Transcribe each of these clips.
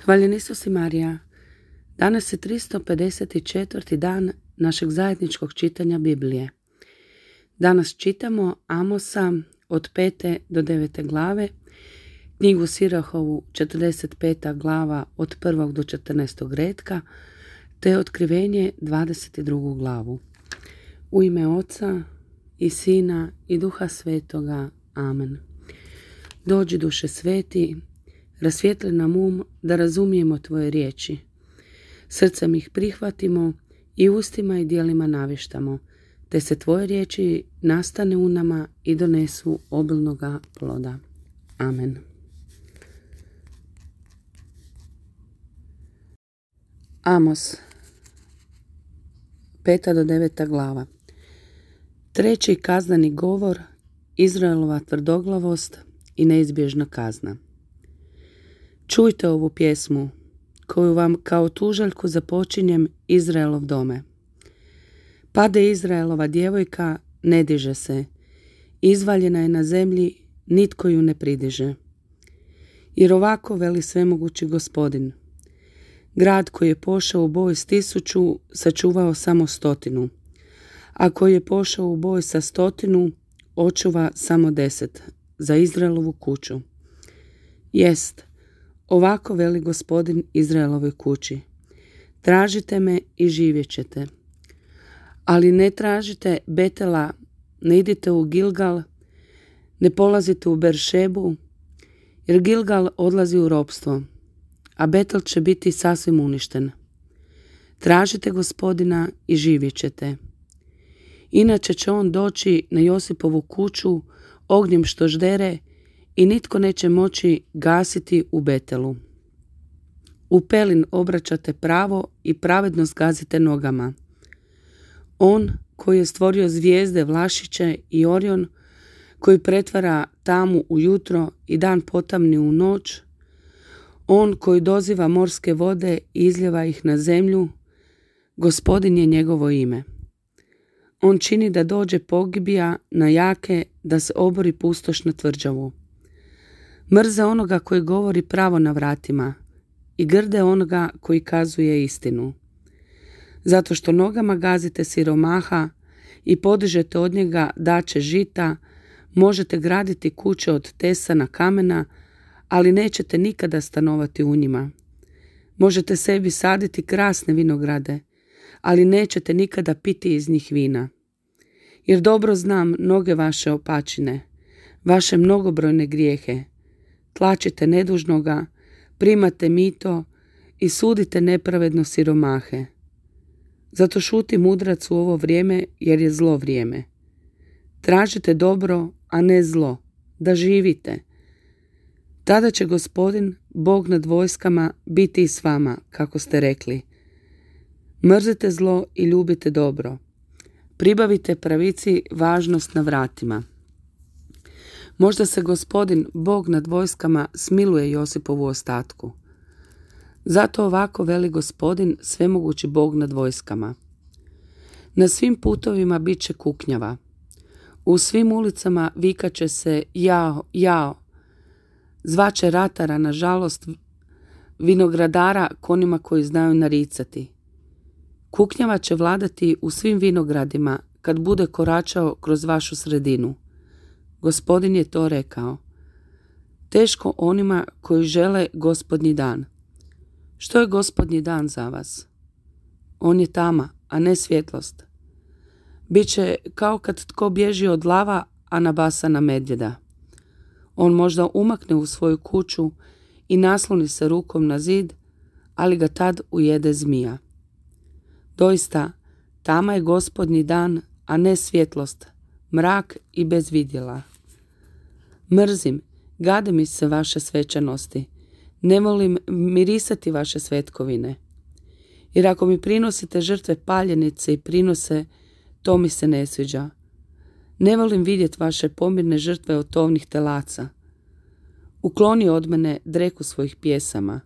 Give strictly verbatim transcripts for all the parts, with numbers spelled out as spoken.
Hvaljen Isus i Marija. Danas je tristo pedeset četvrti dan našeg zajedničkog čitanja Biblije. Danas čitamo Amosa od pete do devete glave, knjigu Sirahovu četrdeset peta glava od prvog do četrnaestog retka, te Otkrivenje dvadeset drugu glavu. U ime Oca i Sina i Duha Svetoga. Amen. Dođi, Duše Sveti, rasvijetli nam um da razumijemo Tvoje riječi. Srcem ih prihvatimo i ustima i djelima navištamo, te se Tvoje riječi nastane u nama i donesu obilnoga ploda. Amen. Amos, peta do deveta glava. Treći kazneni govor, Izraelova tvrdoglavost i neizbježna kazna. Čujte ovu pjesmu, koju vam kao tužaljku započinjem, Izraelov dome. Pade Izraelova djevojka, ne diže se, izvaljena je na zemlji, nitko ju ne pridiže. Jer ovako veli svemogući Gospodin: grad koji je pošao u boj s tisuću, sačuvao samo stotinu, a koji je pošao u boj sa stotinu, očuva samo deset, za Izraelovu kuću. Jest, ovako veli Gospodin Izraelovoj kući: tražite me i živjet ćete. Ali ne tražite Betela, ne idite u Gilgal, ne polazite u Beršebu, jer Gilgal odlazi u ropstvo, a Betel će biti sasvim uništen. Tražite Gospodina i živjet ćete. Inače će on doći na Josipovu kuću ognjem što ždere i nitko neće moći gasiti u Betelu. U pelin obraćate pravo i pravednost gazite nogama. On koji je stvorio zvijezde, Vlašiće i Orion, koji pretvara tamu u jutro i dan potamni u noć, on koji doziva morske vode i izljeva ih na zemlju, Gospodin je njegovo ime. On čini da dođe pogibija na jake, da se obori pustoš na tvrđavu. Mrze onoga koji govori pravo na vratima i grde onoga koji kazuje istinu. Zato što nogama gazite siromaha i podižete od njega dače žita, možete graditi kuće od tesana kamena, ali nećete nikada stanovati u njima. Možete sebi saditi krasne vinograde, ali nećete nikada piti iz njih vina. Jer dobro znam mnoge vaše opačine, vaše mnogobrojne grijehe. Tlačite nedužnoga, primate mito i sudite nepravedno siromahe. Zato šuti mudrac u ovo vrijeme, jer je zlo vrijeme. Tražite dobro, a ne zlo, da živite. Tada će Gospodin, Bog nad vojskama, biti i s vama, kako ste rekli. Mrzite zlo i ljubite dobro. Pribavite pravici važnost na vratima. Možda se Gospodin, Bog nad vojskama, smiluje Josipovu ostatku. Zato ovako veli Gospodin, svemogući Bog nad vojskama: na svim putovima bit će kuknjava. U svim ulicama vikat će se jao, jao. Zvaće ratara, nažalost, vinogradara konima koji znaju naricati. Kuknjava će vladati u svim vinogradima kad bude koračao kroz vašu sredinu. Gospodin je to rekao. Teško onima koji žele Gospodnji dan. Što je Gospodnji dan za vas? On je tama, a ne svjetlost. Biće kao kad tko bježi od lava, a nabasa na medvjeda. On možda umakne u svoju kuću i nasloni se rukom na zid, ali ga tad ujede zmija. Doista, tama je Gospodnji dan, a ne svjetlost, mrak i bez vidjela. Mrzim, gade mi se vaše svečanosti, ne volim mirisati vaše svetkovine. Jer ako mi prinosite žrtve paljenice i prinose, to mi se ne sviđa. Ne volim vidjeti vaše pomirne žrtve od tovnih telaca. Ukloni od mene dreku svojih pjesama.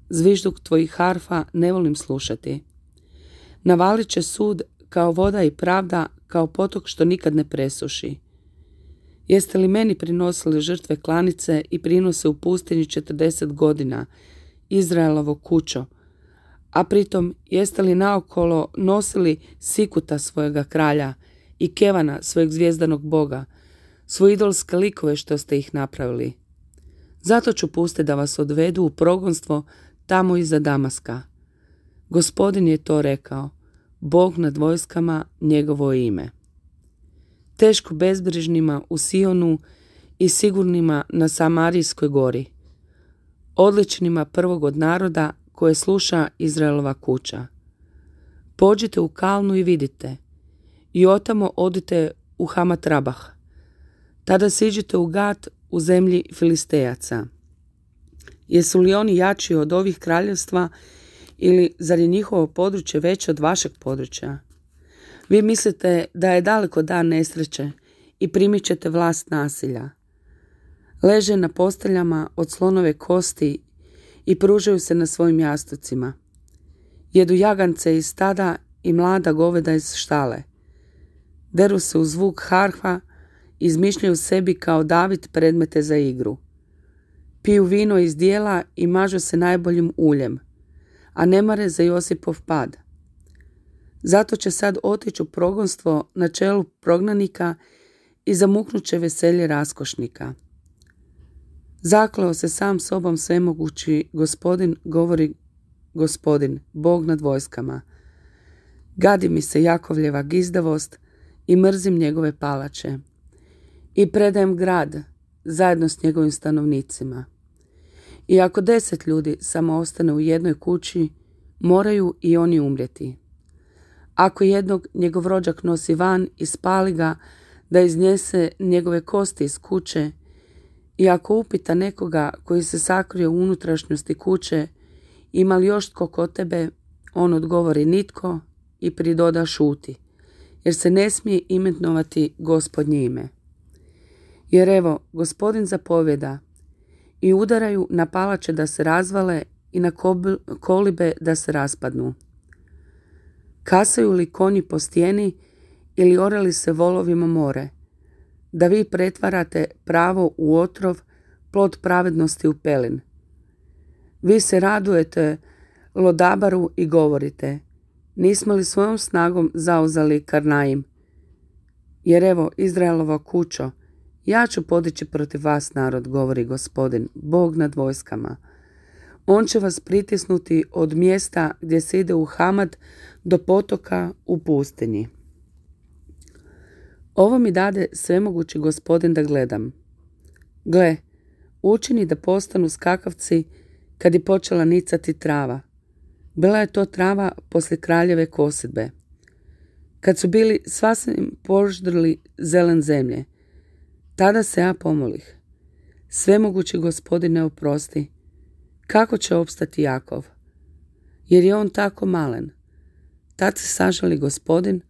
Zvižduk tvojih harfa ne volim slušati. Navalit će sud kao voda i pravda, kao potok što nikad ne presuši. Jeste li meni prinosili žrtve klanice i prinose u pustinji četrdeset godina Izraelovo kućo, a pritom jeste li naokolo nosili Sikuta svojega kralja i Kevana svojeg zvijezdanog boga, svoje idolske likove što ste ih napravili. Zato ću pustiti da vas odvedu u progonstvo tamo iza Damaska. Gospodin je to rekao, Bog nad vojskama, njegovo ime. Teško bezbrižnima u Sionu i sigurnima na Samarijskoj gori, odličnima prvog od naroda koje sluša Izraelova kuća. Pođite u Kalnu i vidite, i otamo odite u Hamat Rabah. Tada siđite u Gat u zemlji Filistejaca. Jesu li oni jači od ovih kraljevstva ili zar je njihovo područje veće od vašeg područja? Vi mislite da je daleko dan nesreće i primit ćete vlast nasilja. Leže na posteljama od slonove kosti i pružaju se na svojim jastucima. Jedu jagance iz stada i mlada goveda iz štale. Deru se u zvuk harfa i izmišljaju sebi kao David predmete za igru. Piju vino iz dijela i mažu se najboljim uljem, a ne mare za Josipov pad. Zato će sad otići u progonstvo na čelu prognanika i zamuknut će veselje raskošnika. Zakleo se sam sobom svemogući Gospodin, govori Gospodin, Bog nad vojskama. Gadi mi se Jakovljeva gizdavost i mrzim njegove palače. I predajem grad zajedno s njegovim stanovnicima. I ako deset ljudi samo ostane u jednoj kući, moraju i oni umrijeti. Ako jednog njegov rođak nosi van i spali ga da iznese njegove kosti iz kuće, i ako upita nekoga koji se sakrio u unutrašnjosti kuće, ima li još tko kod tebe, on odgovori nitko i pridoda šuti, jer se ne smije imenovati Gospodnje ime. Jer evo, Gospodin zapovjeda, i udaraju na palače da se razvale i na kolibe da se raspadnu. Kasaju li konji po stijeni ili orali se volovima more, da vi pretvarate pravo u otrov, plod pravednosti u pelin. Vi se radujete Lodabaru i govorite, nismo li svojom snagom zauzeli Karnaim? Jer evo, Izraelova kućo, ja ću podići protiv vas narod, govori Gospodin, Bog nad vojskama. On će vas pritisnuti od mjesta gdje se ide u Hamad do potoka u pustinji. Ovo mi dade svemogući Gospodin da gledam. Gle, učini da postanu skakavci kad je počela nicati trava. Bila je to trava poslije kraljeve kosidbe. Kad su bili sasvim poždrli zelen zemlje, tada se ja pomolih. Svemogući Gospodine oprosti, kako će opstati Jakov? Jer je on tako malen. Tad se sažali Gospodin,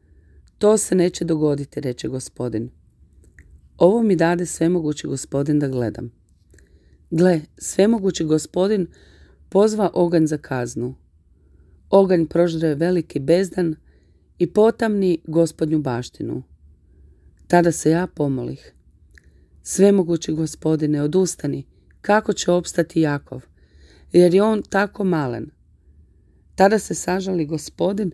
to se neće dogoditi, reče Gospodin. Ovo mi dade svemogući Gospodin da gledam. Gle, svemogući Gospodin pozva oganj za kaznu. Oganj proždre veliki bezdan i potamni Gospodnju baštinu. Tada se ja pomolih. Svemogući Gospodine, odustani, kako će opstati Jakov, jer je on tako malen. Tada se sažali Gospodin,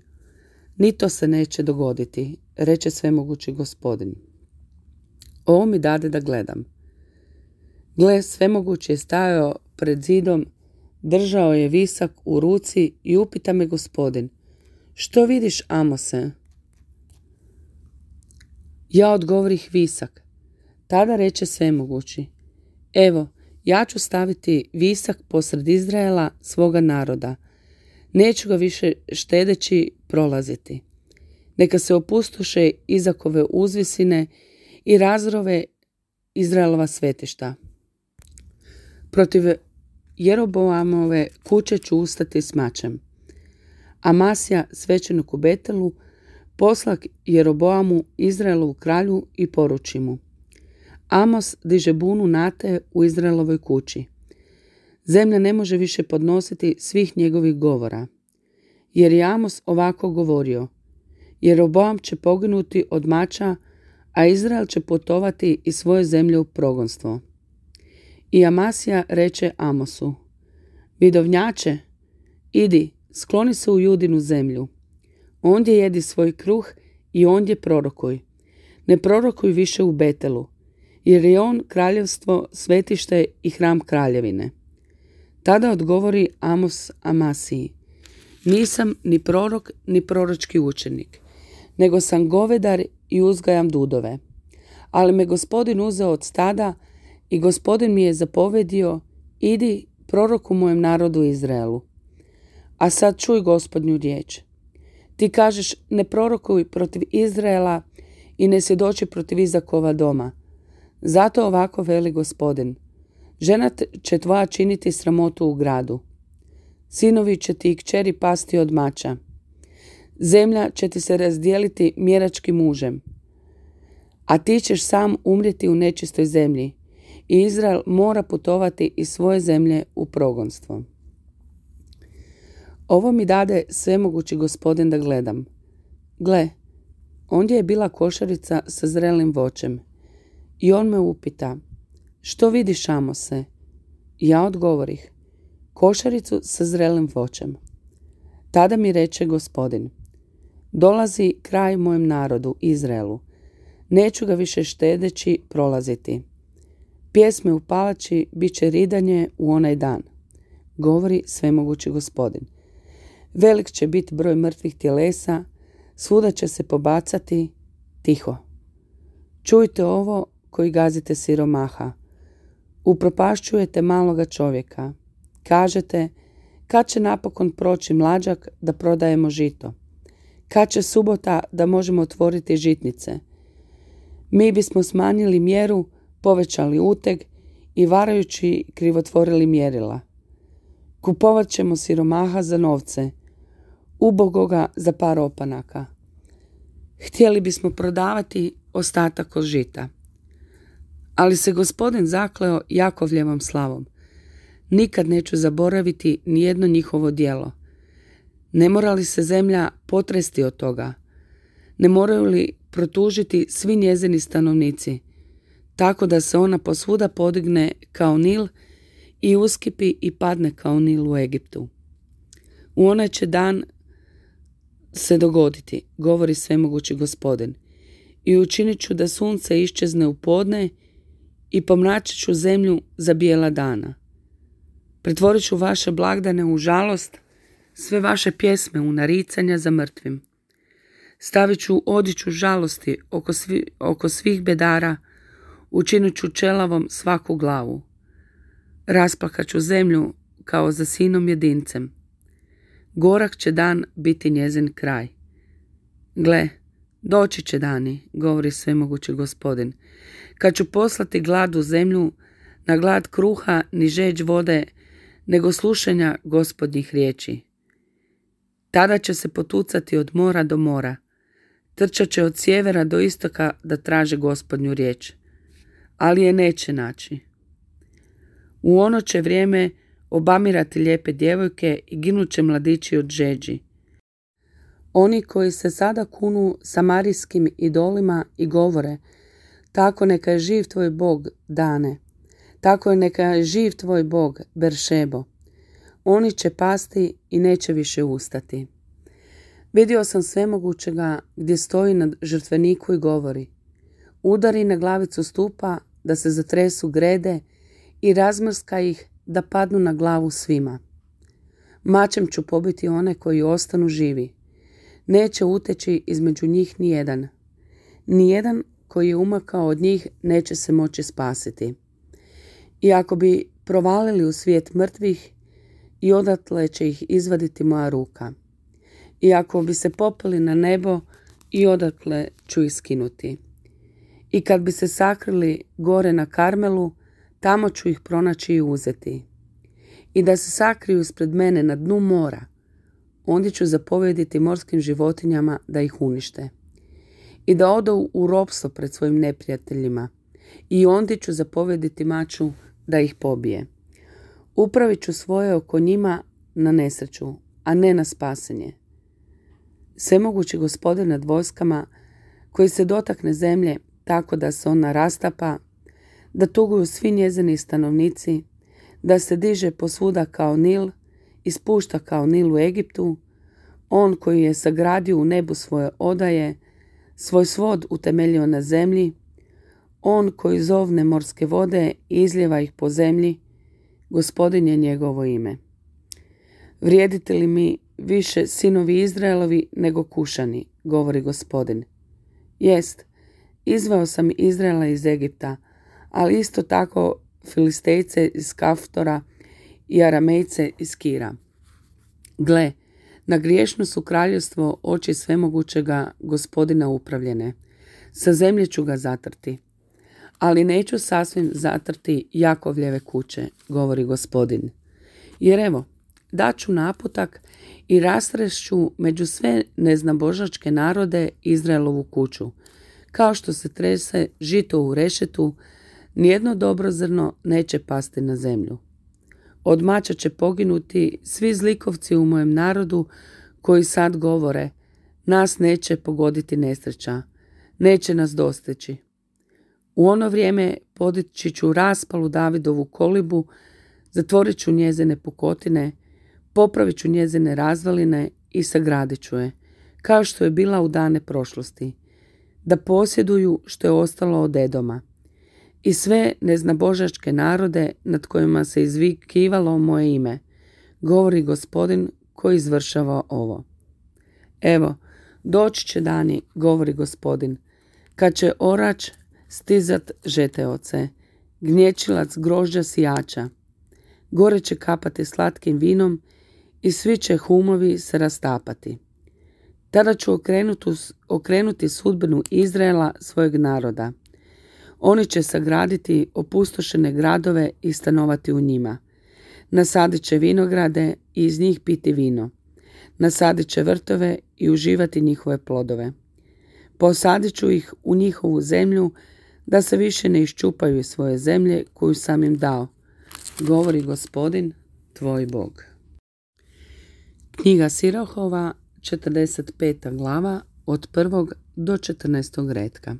ni to se neće dogoditi, reče svemogući Gospodin. Ovo mi dade da gledam. Gle, svemogući je stajao pred zidom, držao je visak u ruci i upita me Gospodin, što vidiš, Amose? Ja odgovorih visak. Tada reče svemogući, evo, ja ću staviti visak posred Izraela svoga naroda. Neću ga više štedeći prolaziti. Neka se opustoše Izakove uzvisine i razrove Izraelova svetišta. Protiv Jeroboamove kuće ću ustati s mačem. Amasija, svećenik u Betelu, posla Jeroboamu, Izraelovu kralju, i poruči mu. Amos diže bunu nate u Izraelovoj kući. Zemlja ne može više podnositi svih njegovih govora. Jer je Amos ovako govorio, Jeroboam će poginuti od mača, a Izrael će putovati iz svoje zemlje u progonstvo. I Amasija reče Amosu, Vidovnjače, idi, skloni se u Judinu zemlju. Ondje jedi svoj kruh i ondje prorokuj. Ne prorokuj više u Betelu, jer je on kraljevstvo, svetište i hram kraljevine. Tada odgovori Amos Amasiji: nisam ni prorok, ni proročki učenik, nego sam govedar i uzgajam dudove. Ali me Gospodin uzeo od stada i Gospodin mi je zapovedio: idi, proroku mojem narodu Izraelu. A sad čuj Gospodnju riječ. Ti kažeš: ne prorokuj protiv Izraela i ne svjedoči protiv Izakova doma. Zato ovako veli Gospodin: žena će tvoja činiti sramotu u gradu. Sinovi će ti i kćeri pasti od mača. Zemlja će ti se razdijeliti mjeračkim mužem. A ti ćeš sam umrijeti u nečistoj zemlji i Izrael mora putovati iz svoje zemlje u progonstvo. Ovo mi dade svemogući Gospodin da gledam. Gle, ondje je bila košarica sa zrelim voćem. I on me upita: što vidiš, Amose? Ja odgovorih: košaricu sa zrelim voćem. Tada mi reče Gospodin: dolazi kraj mojem narodu Izraelu. Neću ga više štedeći prolaziti. Pjesme u palači bit će ridanje u onaj dan, govori svemogući Gospodin. Velik će biti broj mrtvih tjelesa, svuda će se pobacati. Tiho. Čujte ovo koji gazite siromaha. Upropašćujete maloga čovjeka. Kažete: kad će napokon proći mlađak da prodajemo žito? Kad će subota da možemo otvoriti žitnice? Mi bismo smanjili mjeru, povećali uteg i varajući krivotvorili mjerila. Kupovat ćemo siromaha za novce, ubogoga za par opanaka. Htjeli bismo prodavati ostatak od žita. Ali se Gospodin zakleo Jakovljevom slavom: nikad neću zaboraviti nijedno njihovo djelo. Ne mora li se zemlja potresti od toga? Ne moraju li protužiti svi njezini stanovnici, tako da se ona posvuda podigne kao Nil i uskipi i padne kao Nil u Egiptu? U onaj će dan se dogoditi, govori svemogući Gospodin, i učinit ću da sunce iščezne u podne i pomračit ću zemlju za bijela dana. Pretvorit ću vaše blagdane u žalost, sve vaše pjesme u naricanja za mrtvim. Stavit ću odjeću žalosti oko, svi, oko svih bedara, učinit ću čelavom svaku glavu. Rasplakat ću zemlju kao za sinom jedincem. Gorak će dan biti njezin kraj. Gle, doći će dani, govori svemogući Gospodin, kad ću poslati glad u zemlju, na glad kruha ni žeđ vode, nego slušanja Gospodnjih riječi. Tada će se potucati od mora do mora, trčat će od sjevera do istoka da traže Gospodnju riječ, ali je neće naći. U ono će vrijeme obamirati lijepe djevojke i ginut će mladići od žeđi. Oni koji se sada kunu samarijskim idolima i govore: tako neka je živ tvoj Bog, Dane, tako je neka je živ tvoj Bog, Beršebo. Oni će pasti i neće više ustati. Vidio sam svemogućega gdje stoji na žrtveniku i govori: udari na glavicu stupa da se zatresu grede i razmrska ih da padnu na glavu svima. Mačem ću pobiti one koji ostanu živi. Neće uteći između njih nijedan. Nijedan koji je umakao od njih neće se moći spasiti. I ako bi provalili u svijet mrtvih, i odatle će ih izvaditi moja ruka. I ako bi se popeli na nebo, i odatle ću ih skinuti. I kad bi se sakrili gore na Karmelu, tamo ću ih pronaći i uzeti. I da se sakriju ispred mene na dnu mora, ondje ću zapovjediti morskim životinjama da ih unište. I da odu u ropstvo pred svojim neprijateljima, i ondje ću zapovjediti maču da ih pobije. Upravit ću svoje oko njima na nesreću, a ne na spasenje. Svemogući Gospodin nad vojskama, koji se dotakne zemlje tako da se ona rastapa, da tuguju svi njezini stanovnici, da se diže posvuda kao Nil i spušta kao Nil u Egiptu, on koji je sagradio u nebu svoje odaje, svoj svod utemeljio na zemlji, on koji zovne morske vode i izljeva ih po zemlji, Gospodin je njegovo ime. Vrijedite li mi više sinovi Izraelovi nego Kušani, govori Gospodin. Jest, izveo sam Izraela iz Egipta, ali isto tako Filistejce iz Kaftora i Aramejce iz Kira. Gle, na griješno su kraljevstvo oči svemogućega Gospodina upravljene. Sa zemlje ću ga zatrti. Ali neću sasvim zatrti Jakovljeve kuće, govori Gospodin. Jer evo, daću naputak i rastrešću među sve neznabožačke narode Izraelovu kuću. Kao što se trese žito u rešetu, nijedno dobro zrno neće pasti na zemlju. Od mača će poginuti svi zlikovci u mojem narodu koji sad govore, nas neće pogoditi nesreća, neće nas dostići. U ono vrijeme podići ću raspalu Davidovu kolibu, zatvorit ću njezine pukotine, popravit ću njezine razvaline i sagradit ću je, kao što je bila u dane prošlosti, da posjeduju što je ostalo od Edoma. I sve neznabožačke narode nad kojima se izvikivalo moje ime, govori Gospodin koji izvršava ovo. Evo, doći će dani, govori Gospodin, kad će orač stizat žeteoce, gnječilac grožđa sijača, gore će kapati slatkim vinom i svi će humovi se rastapati. Tada ću okrenuti, okrenuti sudbinu Izraela svojeg naroda. Oni će sagraditi opustošene gradove i stanovati u njima. Nasadit će vinograde i iz njih piti vino. Nasadit će vrtove i uživati njihove plodove. Posadit ću ih u njihovu zemlju, da se više ne iščupaju iz svoje zemlje koju sam im dao, govori Gospodin, tvoj Bog. Knjiga Sirohova, četrdeset peta glava, od prvog do četrnaestog retka.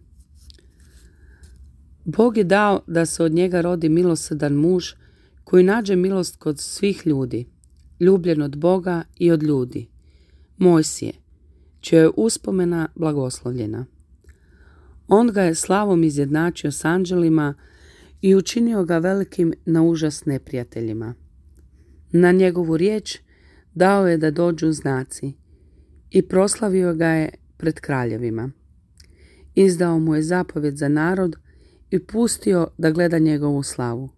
Bog je dao da se od njega rodi milosrdan muž koji nađe milost kod svih ljudi, ljubljen od Boga i od ljudi, Mojsije, čija je uspomena blagoslovljena. On ga je slavom izjednačio s anđelima i učinio ga velikim na užas neprijateljima. Na njegovu riječ dao je da dođu znaci i proslavio ga je pred kraljevima. Izdao mu je zapovjed za narod i pustio da gleda njegovu slavu.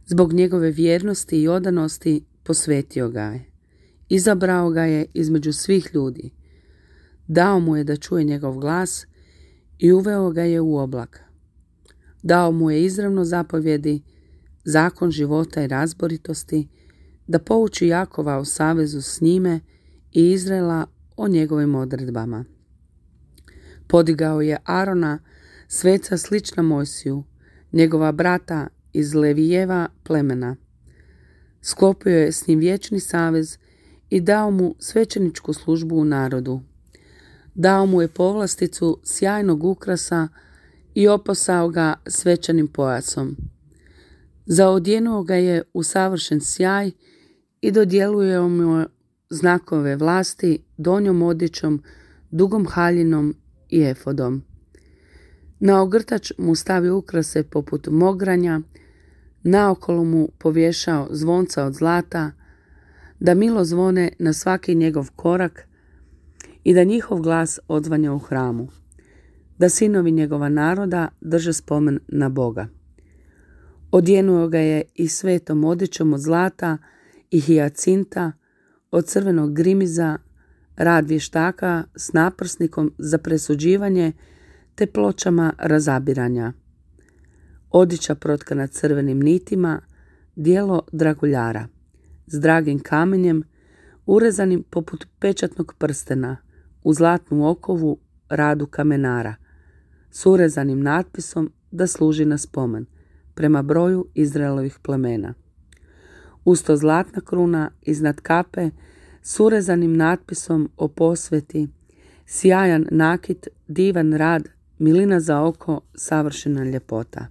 Zbog njegove vjernosti i odanosti posvetio ga je. Izabrao ga je između svih ljudi. Dao mu je da čuje njegov glas i uveo ga je u oblak. Dao mu je izravno zapovjedi, zakon života i razboritosti, da pouči Jakova o savezu s njime i Izraela o njegovim odredbama. Podigao je Arona, sveca slična Mojsiju, njegova brata iz Levijeva plemena. Sklopio je s njim vječni savez i dao mu svećeničku službu u narodu. Dao mu je povlasticu sjajnog ukrasa i oposao ga svečanim pojasom. Zaodjenuo ga je u savršen sjaj i dodjeluje mu znakove vlasti donjom odjećom, dugom haljinom i efodom. Na ogrtač mu stavio ukrase poput mogranja, naokolo mu povješao zvonca od zlata, da milo zvone na svaki njegov korak i da njihov glas odzvanja u hramu, da sinovi njegova naroda drže spomen na Boga. Odjenuo ga je i svetom odjećom od zlata i hijacinta, od crvenog grimiza, rad vještaka s naprsnikom za presuđivanje te pločama razabiranja. Odjeća protkana crvenim nitima, dijelo draguljara, s dragim kamenjem, urezanim poput pečatnog prstena, u zlatnu okovu radu kamenara, s urezanim natpisom da služi na spomen, prema broju Izraelovih plemena. Usto zlatna kruna iznad kape s urezanim natpisom o posveti, sjajan nakit, divan rad, milina za oko, savršena ljepota.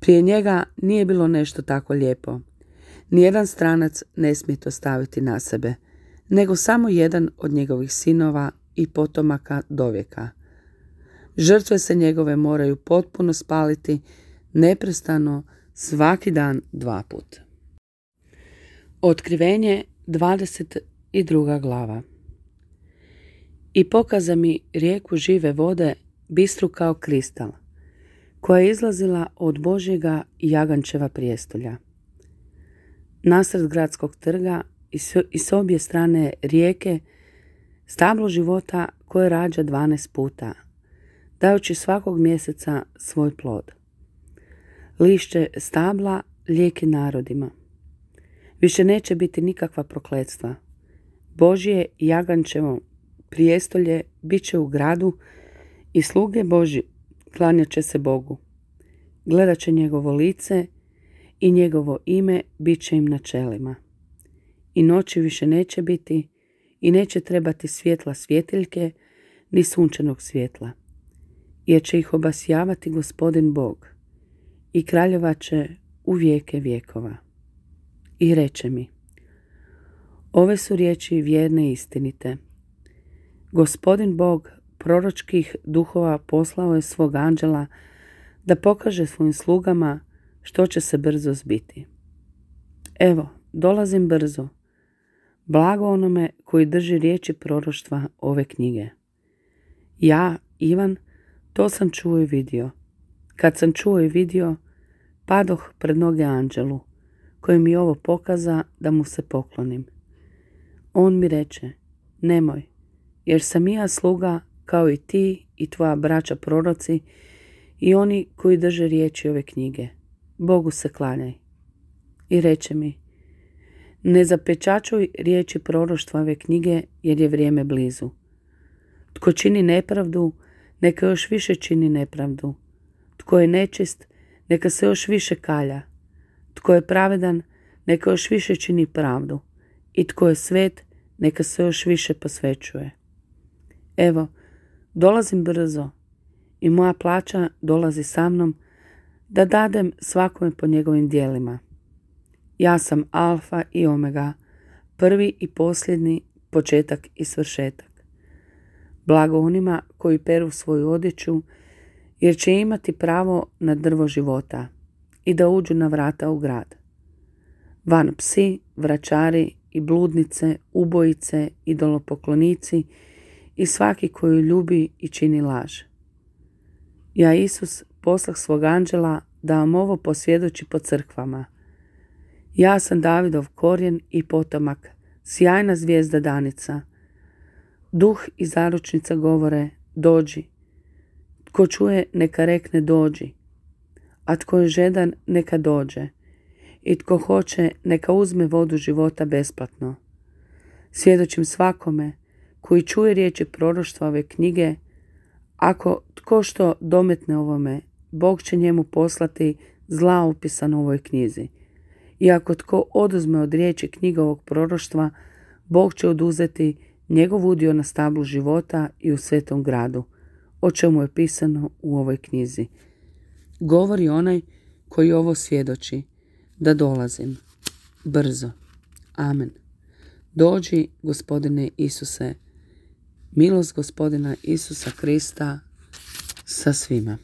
Prije njega nije bilo nešto tako lijepo. Nijedan stranac ne smije to staviti na sebe, nego samo jedan od njegovih sinova i potomaka dovijeka. Žrtve se njegove moraju potpuno spaliti, neprestano, svaki dan dva put. Otkrivenje dvadeset druga glava. I pokaza mi rijeku žive vode, bistru kao kristal, koja je izlazila od Božjega i Jagančeva prijestolja. Nasred gradskog trga i s, i s obje strane rijeke stablo života koje rađa dvanaest puta, dajući svakog mjeseca svoj plod. Lišće stabla lijeki narodima. Više neće biti nikakva prokletstva. Božje i Jagančevo prijestolje bit će u gradu i sluge Božji klanjat će se Bogu. Gledat će njegovo lice i njegovo ime bit će im na čelima. I noći više neće biti i neće trebati svjetla svjetiljke ni sunčanog svjetla, jer će ih obasjavati Gospodin Bog i kraljovat će u vijeke vjekova. I reče mi: ove su riječi vjerne i istinite. Gospodin Bog proročkih duhova poslao je svog anđela da pokaže svojim slugama što će se brzo zbiti. Evo, dolazim brzo. Blago onome koji drži riječi proroštva ove knjige. Ja, Ivan, to sam čuo i vidio. Kad sam čuo i vidio, padoh pred noge anđelu, koji mi ovo pokaza da mu se poklonim. On mi reče: nemoj, jer sam i ja sluga kao i ti i tvoja braća proroci i oni koji drže riječi ove knjige. Bogu se klanjaj. I reče mi: ne zapečačuj riječi proroštva ove knjige, jer je vrijeme blizu. Tko čini nepravdu, neka još više čini nepravdu. Tko je nečist, neka se još više kalja. Tko je pravedan, neka još više čini pravdu. I tko je svet, neka se još više posvećuje. Evo, dolazim brzo i moja plaća dolazi sa mnom, da dadem svakome po njegovim djelima. Ja sam Alfa i Omega, prvi i posljednji, početak i svršetak. Blago onima koji peru svoju odjeću, jer će imati pravo na drvo života i da uđu na vrata u grad. Van psi, vračari i bludnice, ubojice, idolopoklonici i svaki koji ljubi i čini laž. Ja, Isus, poslah svog anđela da vam ovo posvjedoči po crkvama. Ja sam Davidov korijen i potomak, sjajna zvijezda danica. Duh i zaručnica govore: dođi. Tko čuje, neka rekne: dođi. A tko je žedan, neka dođe. I tko hoće, neka uzme vodu života besplatno. Svjedočim svakome koji čuje riječi proroštva ove knjige, ako tko što dometne ovome, Bog će njemu poslati zla upisano u ovoj knjizi. I ako tko oduzme od riječi knjige ovog proroštva, Bog će oduzeti njegov udio na stablu života i u svetom gradu, o čemu je pisano u ovoj knjizi. Govori onaj koji ovo svjedoči, da dolazim brzo. Amen. Dođi, Gospodine Isuse, milost Gospodina Isusa Krista sa svima.